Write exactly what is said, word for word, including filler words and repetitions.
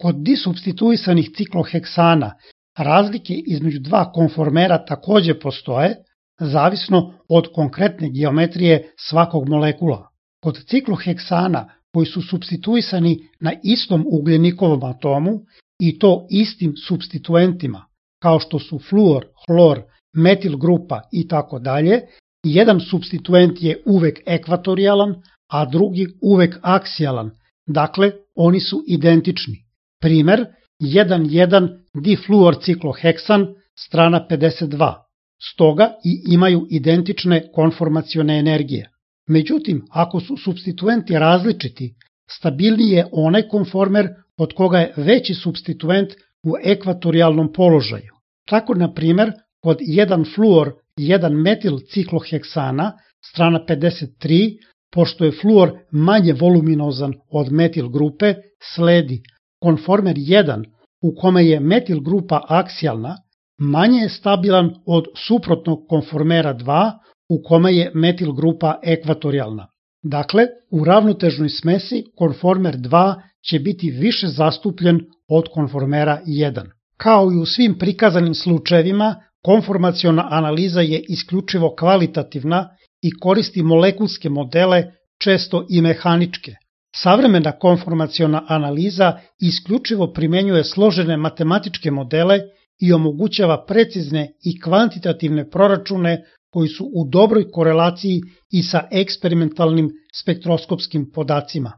Kod disupstituisanih cikloheksana razlike između dva konformera takođe postoje, zavisno od konkretne geometrije svakog molekula. Kod cikloheksana koji su supstituisani na istom ugljenikovom atomu i to istim supstituentima, kao što su fluor, hlor, metil grupa i tako dalje, jedan supstituent je uvek ekvatorijalan, a drugi uvek aksijalan, dakle oni su identični. Primer, jedan jedan difluorcikloheksan, strana pedeset dva, stoga i imaju identične konformacione energije. Međutim, ako su supstituenti različiti, stabilniji je onaj konformer kod koga je veći supstituent u ekvatorijalnom položaju. Tako, na primer, kod jedan fluor jedan metil cikloheksana, strana pedeset tri, pošto je fluor manje voluminozan od metil grupe, sledi konformer jedan u kome je metil grupa aksijalna, manje je stabilan od suprotnog konformera dva u kome je metil grupa ekvatorijalna. Dakle, u ravnotežnoj smesi konformer dva će biti više zastupljen od konformera jedan. Kao i u svim prikazanim slučajevima, konformaciona analiza je isključivo kvalitativna i koristi molekulske modele, često i mehaničke. Savremena konformaciona analiza isključivo primenjuje složene matematičke modele i omogućava precizne i kvantitativne proračune koji su u dobroj korelaciji i sa eksperimentalnim spektroskopskim podacima.